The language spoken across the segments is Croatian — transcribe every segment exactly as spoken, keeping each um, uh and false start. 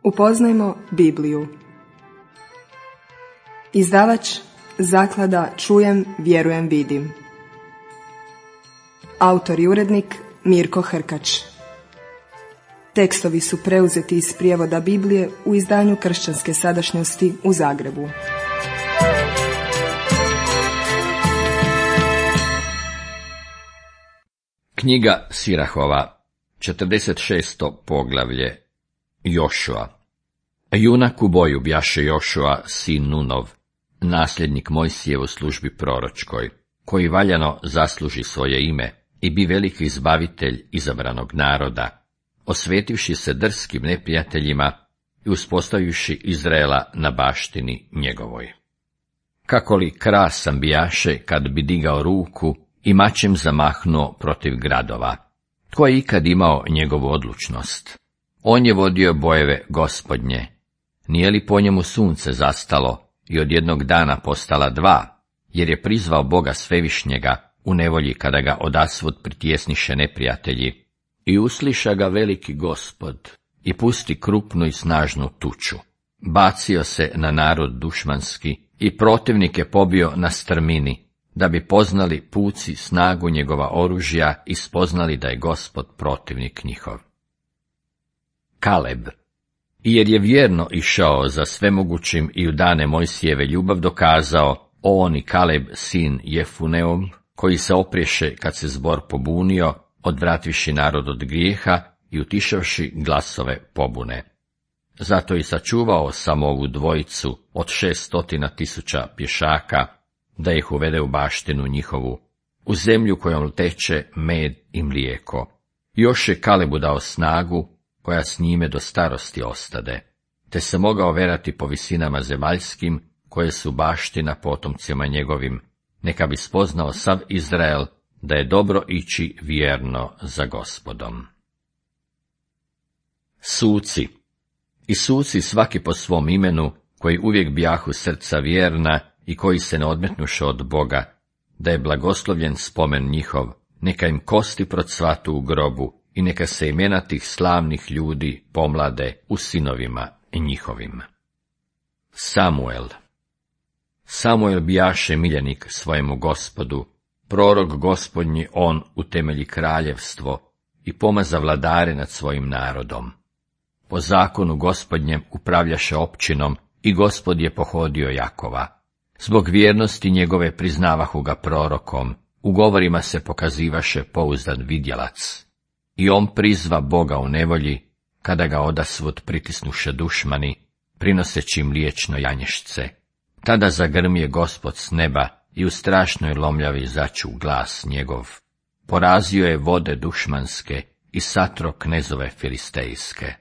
Upoznajmo Bibliju. Izdavač Zaklada Čujem, vjerujem, vidim. Autor i urednik Mirko Hrkač. Tekstovi su preuzeti iz prijevoda Biblije u izdanju Kršćanske sadašnjosti u Zagrebu. Knjiga Sirahova, četrdeset šesto poglavlje. Jošua. Junak u boju bjaše Jošua, sin Nunov, nasljednik Mojsijev u službi proročkoj, koji valjano zasluži svoje ime i bi veliki izbavitelj izabranog naroda, osvetivši se drskim neprijateljima i uspostavivši Izraela na baštini njegovoj. Kako li krasan bijaše kad bi digao ruku i mačem zamahnuo protiv gradova. Tko je ikad imao njegovu odlučnost? On je vodio bojeve Gospodnje. Nije li po njemu sunce zastalo i od jednog dana postala dva, jer je prizvao Boga Svevišnjega u nevolji kada ga odasvud pritjesniše neprijatelji, i usliša ga veliki Gospod i pusti krupnu i snažnu tuču. Bacio se na narod dušmanski i protivnike pobio na strmini, da bi poznali puci snagu njegova oružja i spoznali da je Gospod protivnik njihov. Kaleb. I jer je vjerno išao za svemogućim i u dane Mojsijeve ljubav dokazao, on i Kaleb sin Jefuneov, koji se opriješe kad se zbor pobunio, odvrativši narod od grijeha i utišavši glasove pobune. Zato i sačuvao sam ovu dvojicu od šeststotina tisuća pješaka, da ih uvede u baštinu njihovu, u zemlju kojom teče med i mlijeko. Još je Kalebu dao snagu, koja s njime do starosti ostade, te se mogao verati po visinama zemaljskim, koje su baština potomcima njegovim, neka bi spoznao sav Izrael, da je dobro ići vjerno za Gospodom. Suci. I suci svaki po svom imenu, koji uvijek bijahu srca vjerna i koji se ne odmetnuše od Boga, da je blagoslovljen spomen njihov, neka im kosti procvatu u grobu i neka se imena tih slavnih ljudi pomlade u sinovima njihovim. Samuel. Samuel bijaše miljenik svojemu Gospodu, prorok Gospodnji on utemelji kraljevstvo i pomaza vladare nad svojim narodom. Po zakonu Gospodnjem upravljaše općinom i Gospod je pohodio Jakova. Zbog vjernosti njegove priznavahu ga prorokom, u govorima se pokazivaše pouzdan vidjelac. I on prizva Boga u nevolji, kada ga odasvud pritisnuše dušmani, prinoseći mliječno janješce. Tada zagrmije Gospod s neba i u strašnoj lomljavi začu glas njegov. Porazio je vode dušmanske i satro knezove filistejske.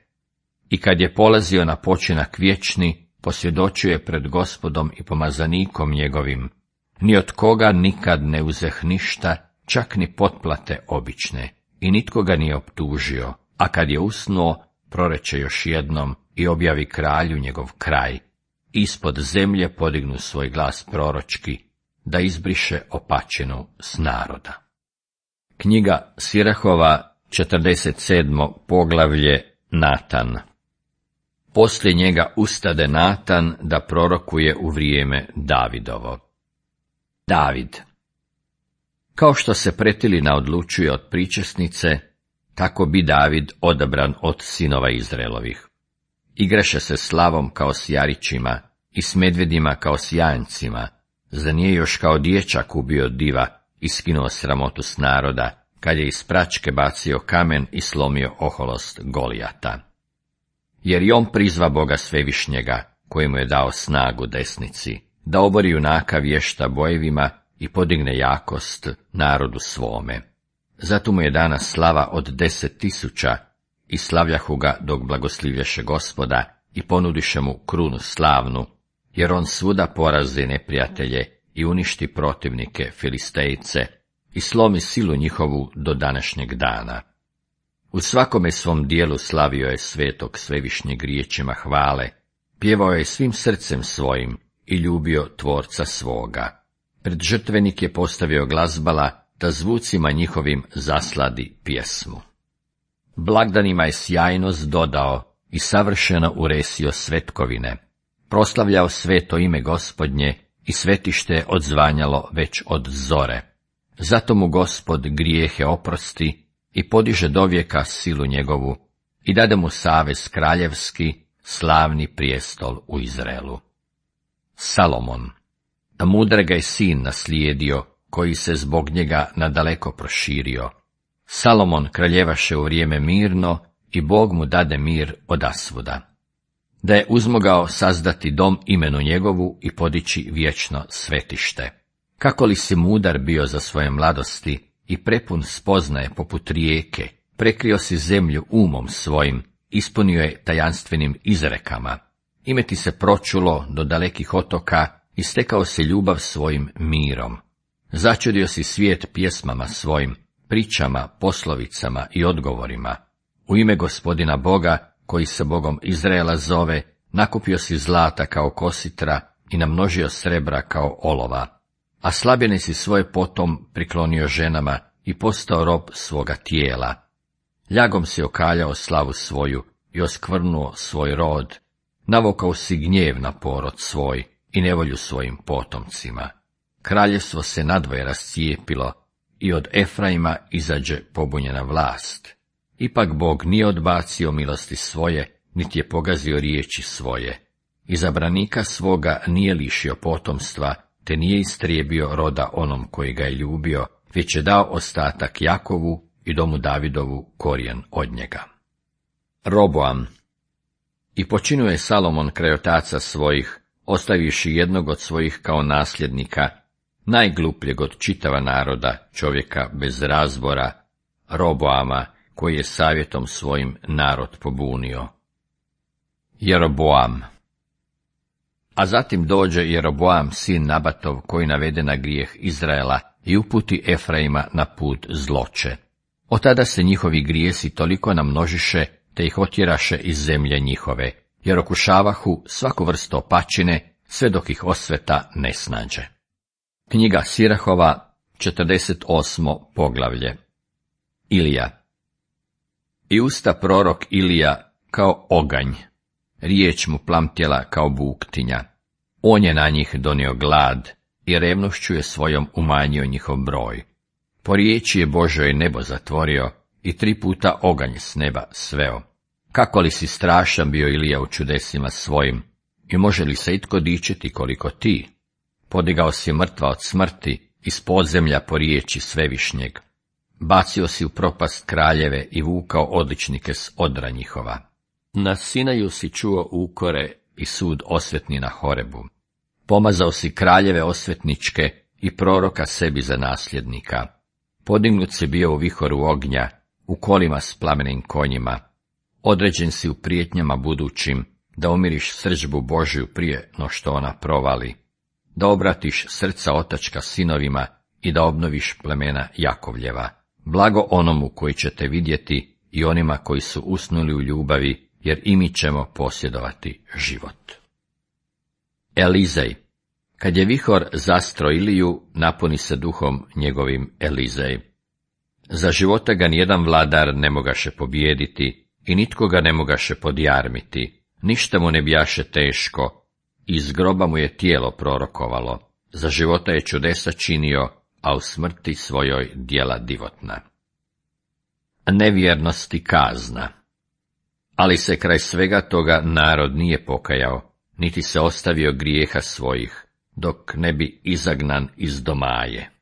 I kad je polazio na počinak vječni, posvjedočio je pred Gospodom i pomazanikom njegovim. Ni od koga nikad ne uzeh ništa, čak ni potplate obične, i nitko ga nije optužio, a kad je usnuo, proreče još jednom i objavi kralju njegov kraj. Ispod zemlje podignu svoj glas proročki, da izbriše opačinu s naroda. Knjiga Sirahova, četrdeset sedmo poglavlje. Natan. Poslije njega ustade Natan da prorokuje u vrijeme Davidovo. David. Kao što se pretilina odlučuje od pričesnice, tako bi David odabran od sinova Izraelovih. Igraše se slavom kao s jarićima i s medvedima kao s janjcima, za nije još kao dječak ubio diva i skinuo sramotu s naroda, kad je iz pračke bacio kamen i slomio oholost Golijata. Jer i on prizva Boga Svevišnjega, koji mu je dao snagu desnici, da obori junaka vješta bojevima i podigne jakost narodu svome. Zato mu je dana slava od deset tisuća i slavljahu ga dok blagoslivljaše Gospoda i ponudiše mu krunu slavnu, jer on svuda porazi neprijatelje i uništi protivnike Filistejce i slomi silu njihovu do današnjeg dana. U svakome svom dijelu slavio je svetog Svevišnjeg riječima hvale, pjevao je svim srcem svojim i ljubio tvorca svoga. Pred žrtvenik je postavio glazbala, da zvucima njihovim zasladi pjesmu. Blagdanima je sjajnost dodao i savršeno uresio svetkovine, proslavljao sveto ime Gospodnje i svetište odzvanjalo već od zore. Zato mu Gospod grijehe oprosti i podiže dovijeka silu njegovu i dade mu savez kraljevski, slavni prijestol u Izraelu. Salomon. Mudrega je sin naslijedio, koji se zbog njega nadaleko proširio. Salomon kraljevaše u vrijeme mirno i Bog mu dade mir odasvuda. Da je uzmogao sazdati dom imenu njegovu i podići vječno svetište. Kako li si mudar bio za svoje mladosti i prepun spoznaje poput rijeke, prekrio si zemlju umom svojim, ispunio je tajanstvenim izrekama. Ime ti se pročulo do dalekih otoka i stekao si ljubav svojim mirom. Začudio si svijet pjesmama svojim, pričama, poslovicama i odgovorima. U ime Gospodina Boga, koji se Bogom Izraela zove, nakupio si zlata kao kositra i namnožio srebra kao olova. A slabine si svoje potom priklonio ženama i postao rob svoga tijela. Ljagom si okaljao slavu svoju i oskvrnuo svoj rod. Navukao si gnjev na porod svoj i nevolju svojim potomcima. Kraljevstvo se nadvoje rascijepilo i od Efraima izađe pobunjena vlast. Ipak Bog nije odbacio milosti svoje, niti je pogazio riječi svoje. Izabranika svoga nije lišio potomstva, te nije istrijebio roda onom koji ga je ljubio, već je dao ostatak Jakovu i domu Davidovu korijen od njega. Roboam. I počinio je Salomon kraj otaca svojih, ostavivši jednog od svojih kao nasljednika, najglupljeg od čitava naroda, čovjeka bez razbora, Roboama, koji je savjetom svojim narod pobunio. Jeroboam. A zatim dođe Jeroboam, sin Nabatov, koji navede na grijeh Izraela i uputi Efraima na put zloće. Od tada se njihovi grijesi toliko namnožiše, te ih otjeraše iz zemlje njihove, jer okušavahu svaku vrstu opačine, sve dok ih osveta ne snađe. Knjiga Sirahova, četrdeset osmo poglavlje. Ilija. I usta prorok Ilija kao oganj, riječ mu plamtjela kao buktinja. On je na njih donio glad i revnošću je svojom umanjio njihov broj. Po riječi je Božoj nebo zatvorio i tri puta oganj s neba sveo. Kako li si strašan bio Ilija u čudesima svojim, i može li se itko dičiti koliko ti? Podigao si mrtva od smrti, iz podzemlja po riječi svevišnjeg. Bacio si u propast kraljeve i vukao odličnike s odra njihova. Na Sinaju si čuo ukore i sud osvetni na Horebu. Pomazao si kraljeve osvetničke i proroka sebi za nasljednika. Podignut si bio u vihoru ognja, u kolima s plamenim konjima. Određen si u prijetnjama budućim, da umiriš srdžbu Božju prije no što ona provali, da obratiš srca otačka sinovima i da obnoviš plemena Jakovljeva. Blago onomu koji će te vidjeti i onima koji su usnuli u ljubavi, jer i mi ćemo posjedovati život. Elizej. Kad je vihor zastro Iliju, napuni se duhom njegovim Elizej. Za života ga nijedan vladar ne mogaše pobijediti i nitko ga ne mogaše podjarmiti, ništa mu ne bijaše teško, iz groba mu je tijelo prorokovalo, za života je čudesa činio, a u smrti svojoj djela divotna. Nevjernosti kazna. Ali se kraj svega toga narod nije pokajao, niti se ostavio grijeha svojih, dok ne bi izagnan iz domaje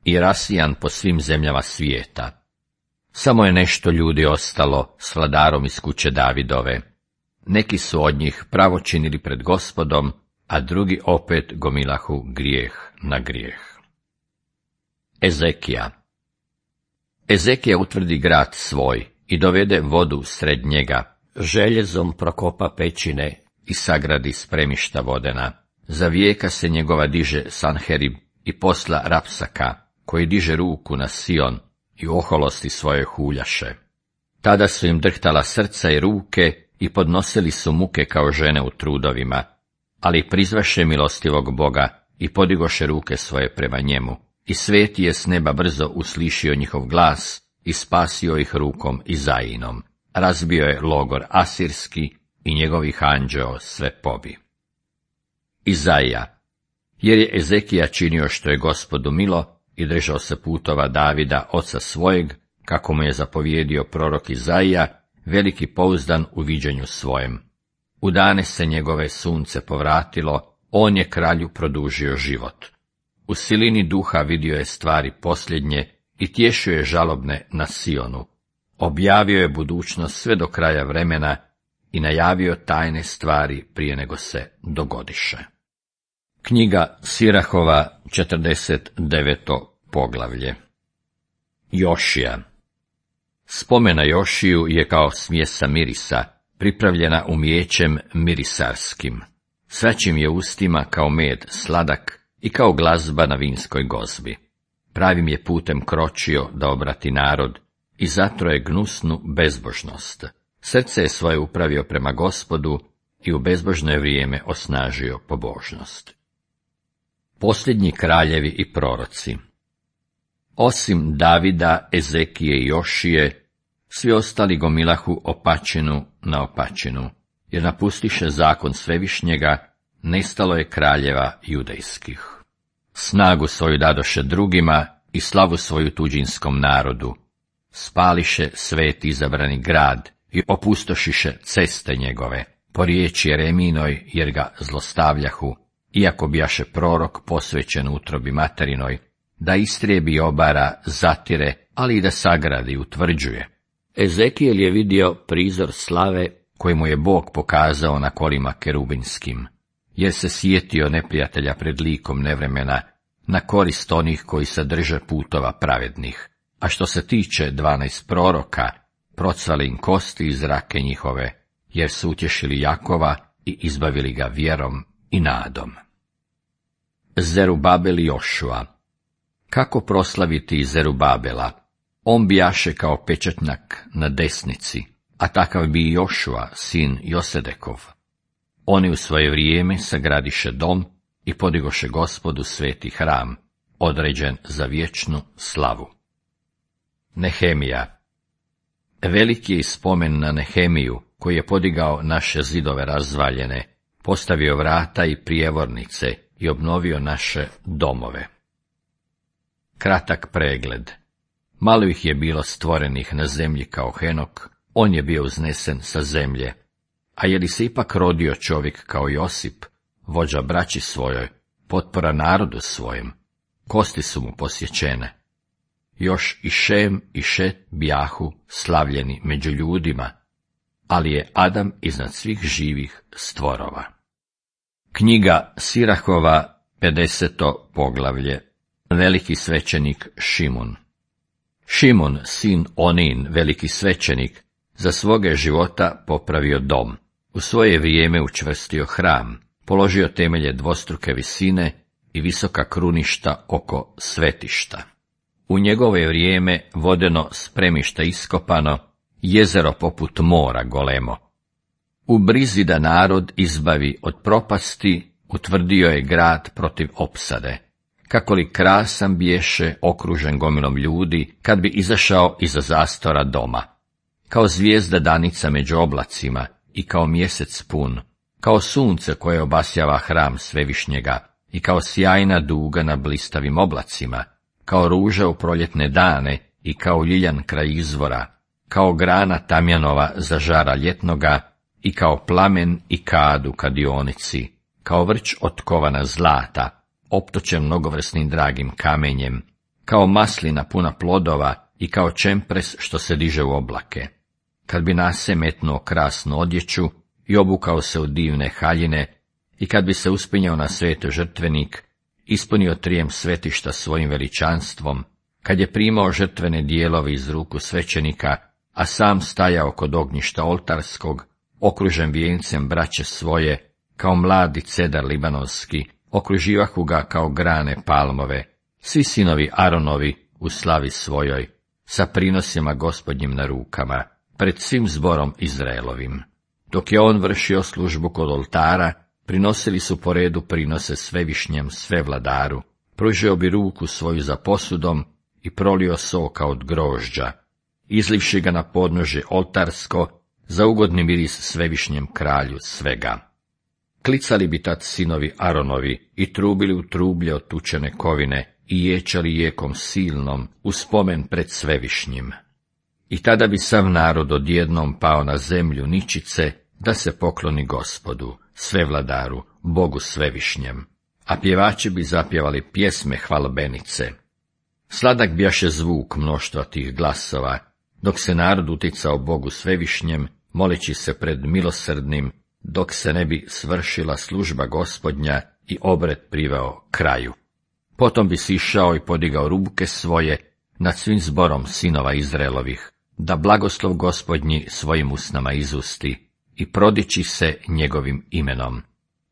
i rasijan po svim zemljama svijeta. Samo je nešto ljudi ostalo s vladarom iz kuće Davidove. Neki su od njih pravo činili pred Gospodom, a drugi opet gomilahu grijeh na grijeh. Ezekija. Ezekija utvrdi grad svoj i dovede vodu sred njega, željezom prokopa pećine i sagradi spremišta vodena. Za vijeka se njegova diže Sanherib i posla Rapsaka, koji diže ruku na Sion i oholosti svoje huljaše. Tada su im drhtala srca i ruke i podnosili su muke kao žene u trudovima, ali prizvaše milostivog Boga i podigoše ruke svoje prema njemu. I sveti je s neba brzo uslišio njihov glas i spasio ih rukom Izainom. razbio je logor asirski i njegovih anđeo sve pobi. Izaija, jer je Ezekija činio što je Gospodu milo i držao se putova Davida, oca svojeg, kako mu je zapovjedio prorok Izaija, veliki pouzdan u viđenju svojem. U dane se njegove sunce povratilo, on je kralju produžio život. U silini duha vidio je stvari posljednje i tješio je žalobne na Sionu. Objavio je budućnost sve do kraja vremena i najavio tajne stvari prije nego se dogodiše. Knjiga Sirahova, četrdeset deveto poglavlje. Jošija. Spomena Jošiju je kao smjesa mirisa, pripravljena umijećem mirisarskim. Svačim je ustima kao med sladak i kao glazba na vinskoj gozbi. Pravim je putem kročio da obrati narod i zatro je gnusnu bezbožnost. Srce je svoje upravio prema Gospodu i u bezbožno je vrijeme osnažio pobožnost. Posljednji kraljevi i proroci. Osim Davida, Ezekije i Jošije, svi ostali gomilahu opačinu na opačinu, jer napustiše zakon Svevišnjega, nestalo je kraljeva judejskih. Snagu svoju dadoše drugima i slavu svoju tuđinskom narodu. Spališe svet izabrani grad i opustošiše ceste njegove, po riječi Jereminoj, jer ga zlostavljahu, iako bijaše prorok posvećen utrobi materinoj, da istrijebi obara, zatire, ali i da sagradi, utvrđuje. Ezekijel je vidio prizor slave koji mu je Bog pokazao na kolima kerubinskim, jer se sjetio neprijatelja pred likom nevremena, na korist onih koji se drže putova pravednih. A što se tiče dvanaest proroka, procvale im kosti iz rake njihove, jer su utješili Jakova i izbavili ga vjerom i nadom. Zerubabel i Jošua. Kako proslaviti Zerubabela? On bijaše kao pečatnjak na desnici, a takav bi i Jošua, sin Josedekov. Oni u svoje vrijeme sagradiše dom i podigoše Gospodu sveti hram, određen za vječnu slavu. Nehemija. Veliki je spomen na Nehemiju, koji je podigao naše zidove razvaljene, postavio vrata i prijevornice i obnovio naše domove. Kratak pregled. Malo ih je bilo stvorenih na zemlji kao Henok, on je bio uznesen sa zemlje. A je li se ipak rodio čovjek kao Josip, vođa braći svojoj, potpora narodu svojem? Kosti su mu posjećene. Još i Šem i Šet bijahu slavljeni među ljudima, ali je Adam iznad svih živih stvorova. Knjiga Sirahova, pedeseto poglavlje. Veliki svećenik Šimun. Šimun, sin Onin, veliki svećenik, za svoga života popravio dom, u svoje vrijeme učvrstio hram, položio temelje dvostruke visine i visoka kruništa oko svetišta. U njegovo je vrijeme vodeno spremište iskopano, jezero poput mora golemo. U brizi da narod izbavi od propasti, utvrdio je grad protiv opsade. Kako li krasan biješe, okružen gomilom ljudi, kad bi izašao iza zastora doma. Kao zvijezda danica među oblacima i kao mjesec pun, kao sunce koje obasjava hram Svevišnjega i kao sjajna duga na blistavim oblacima, kao ruža u proljetne dane i kao ljiljan kraj izvora, kao grana tamjanova za žara ljetnoga i kao plamen i kad u kadionici, kao vrč otkovana zlata, optočen mnogovrsnim dragim kamenjem, kao maslina puna plodova i kao čempres što se diže u oblake. Kad bi nase metnuo krasnu odjeću i obukao se u divne haljine, i kad bi se uspinjao na sveti žrtvenik, ispunio trijem svetišta svojim veličanstvom, kad je primao žrtvene dijelove iz ruku svećenika, a sam stajao kod ognjišta oltarskog, okružen vijencem braće svoje, kao mladi cedar libanonski, okruživahu ga kao grane palmove, svi sinovi Aronovi u slavi svojoj, sa prinosima Gospodnjim na rukama, pred svim zborom Izraelovim. Dok je on vršio službu kod oltara, prinosili su po redu prinose Svevišnjem sve vladaru, pružio bi ruku svoju za posudom i prolio soka od grožđa, izlivši ga na podnožje oltarsko, za ugodni miris svevišnjem kralju svega. Klicali bi tad sinovi Aronovi i trubili u trublje od tučene kovine i ječali jekom silnom u spomen pred svevišnjim. I tada bi sav narod odjednom pao na zemlju ničice da se pokloni Gospodu, svevladaru, Bogu svevišnjem, a pjevači bi zapjevali pjesme hvalbenice. Sladak bjaše zvuk mnoštva tih glasova, dok se narod uticao Bogu svevišnjem, moleći se pred milosrdnim, dok se ne bi svršila služba Gospodnja i obred priveo kraju. Potom bi sišao i podigao ruke svoje nad svim zborom sinova Izraelovih, da blagoslov Gospodnji svojim usnama izusti i prodiči se njegovim imenom.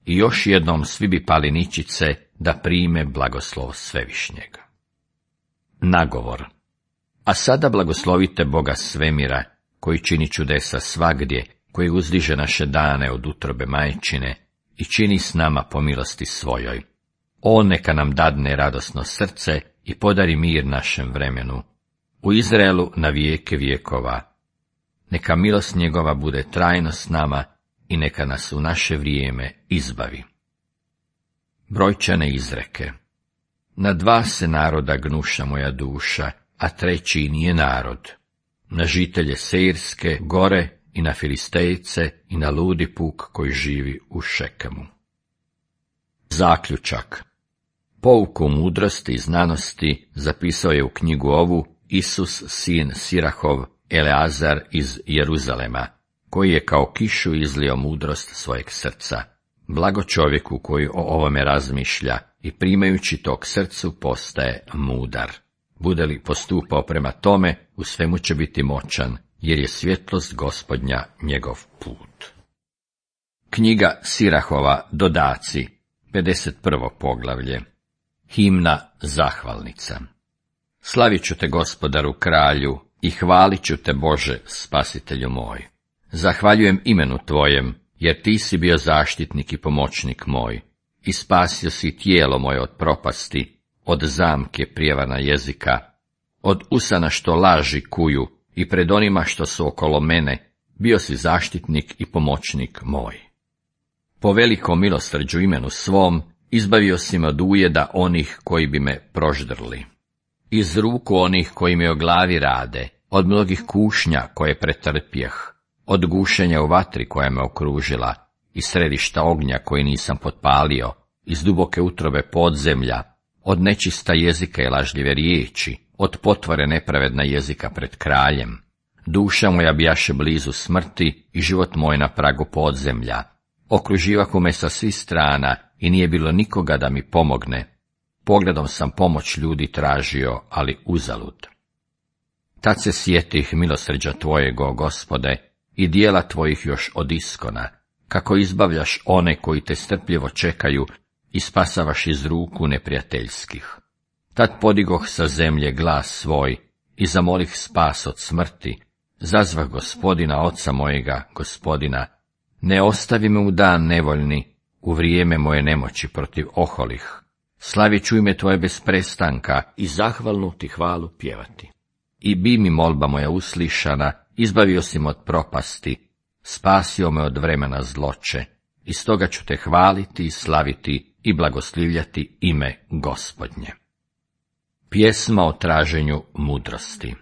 I još jednom svi bi pali ničice da prime blagoslov svevišnjega. Nagovor. A sada blagoslovite Boga svemira, koji čini čudesa svagdje, koji uzdiže naše dane od utrobe majčine i čini s nama po milosti svojoj. On neka nam dadne radosno srce i podari mir našem vremenu. U Izraelu na vijeke vjekova. Neka milost njegova bude trajno s nama i neka nas u naše vrijeme izbavi. Brojčane izreke. Na dva se naroda gnuša moja duša, a treći nije narod. Na žitelje Seirske gore i na Filistejce i na ludi puk koji živi u Šekemu. Zaključak. Pouku mudrosti i znanosti zapisao je u knjigu ovu Isus sin Sirahov, Eleazar iz Jeruzalema, koji je kao kišu izlio mudrost svojeg srca. Blago čovjeku koji o ovome razmišlja i primajući to k srcu postaje mudar. Bude li postupao prema tome, u svemu će biti moćan, jer je svjetlost Gospodnja njegov put. Knjiga Sirahova, dodaci, pedeset prvo poglavlje. Himna zahvalnica. Slavit ću te, Gospodaru kralju, i hvalit ću te, Bože, spasitelju moj. Zahvaljujem imenu tvojem, jer ti si bio zaštitnik i pomoćnik moj, i spasio si tijelo moje od propasti, od zamke prijevana jezika, od usana što laži kuju, i pred onima što su okolo mene, bio si zaštitnik i pomoćnik moj. Po velikom milosrđu imenu svom, izbavio si me od ujeda onih koji bi me proždrli. Iz ruku onih koji mi o glavi rade, od mnogih kušnja koje pretrpjeh, od gušenja u vatri koja me okružila, iz središta ognja koji nisam potpalio, iz duboke utrobe podzemlja, od nečista jezika i lažljive riječi, od potvore nepravedna jezika pred kraljem. Duša moja bijaše blizu smrti i život moj na pragu podzemlja. Okruživahu me sa svih strana i nije bilo nikoga da mi pomogne. Pogledom sam pomoć ljudi tražio, ali uzalud. Tad se sjetih milosrđa tvojeg, o Gospode, i dijela tvojih još od iskona, kako izbavljaš one koji te strpljivo čekaju i spasavaš iz ruku neprijateljskih. Tad podigoh sa zemlje glas svoj i zamolih spas od smrti, zazvah Gospodina, oca mojega, Gospodina, ne ostavi me u dan nevoljni, u vrijeme moje nemoći protiv oholih. Slavit ću ime tvoje bez prestanka i zahvalnu ti hvalu pjevati. I bi mi molba moja uslišana, izbavio si me od propasti, spasio me od vremena zloće, i stoga ću te hvaliti i slaviti i blagoslivljati ime Gospodnje. Pjesma o traženju mudrosti.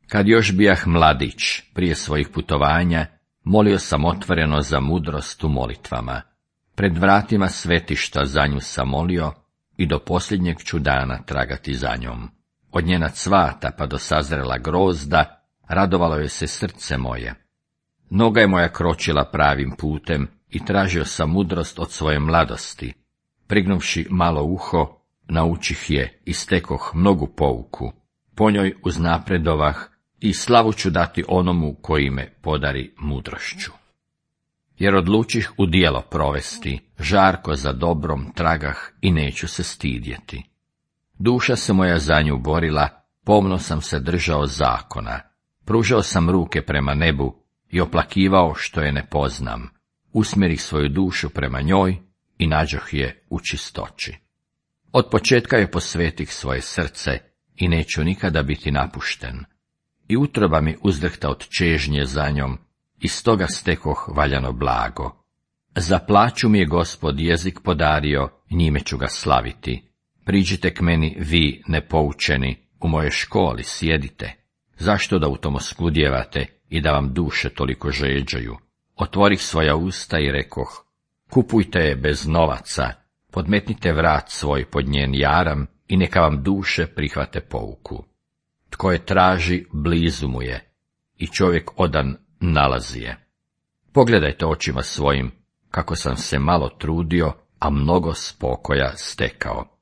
Kad još bijah mladić, prije svojih putovanja, molio sam otvoreno za mudrost u molitvama. Pred vratima svetišta za nju sam molio i do posljednjeg ću dana tragati za njom. Od njena cvata pa do sazrela grozda, radovalo je se srce moje. Noga je moja kročila pravim putem i tražio sam mudrost od svoje mladosti. Prignuvši malo uho, naučih je i stekoh mnogu pouku. Po njoj uznapredovah i slavu ću dati onomu koji me podari mudrošću. Jer odlučih u djelo provesti, žarko za dobrom tragah i neću se stidjeti. Duša se moja za nju borila, pomno sam se držao zakona, pružao sam ruke prema nebu i oplakivao što je ne poznam, usmjerih svoju dušu prema njoj i nađoh je u čistoći. Od početka je posvetih svoje srce i neću nikada biti napušten. i utroba mi uzdrhta od čežnje za njom, i stoga stekoh valjano blago. Za plaću mi je Gospod jezik podario, njime ću ga slaviti. Priđite k meni, vi nepoučeni, u mojoj školi sjedite. Zašto da u tom oskudjevate i da vam duše toliko žeđaju? Otvorih svoja usta i rekoh, kupujte je bez novaca, podmetnite vrat svoj pod njen jaram i neka vam duše prihvate pouku. Tko je traži, blizu mu je, i čovjek odan nalazi je. Pogledajte očima svojim, kako sam se malo trudio, a mnogo spokoja stekao.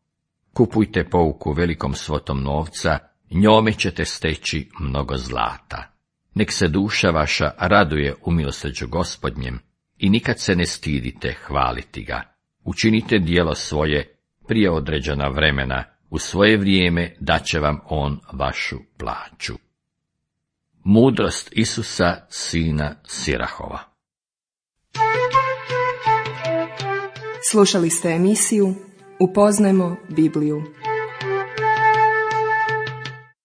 Kupujte pouku velikom svotom novca, njome ćete steći mnogo zlata. Nek se duša vaša raduje u milosrđu Gospodnjem i nikad se ne stidite hvaliti ga. Učinite djelo svoje prije određena vremena, u svoje vrijeme daće vam on vašu plaću. Mudrost Isusa, sina Sirahova. Slušali ste emisiju Upoznajmo Bibliju.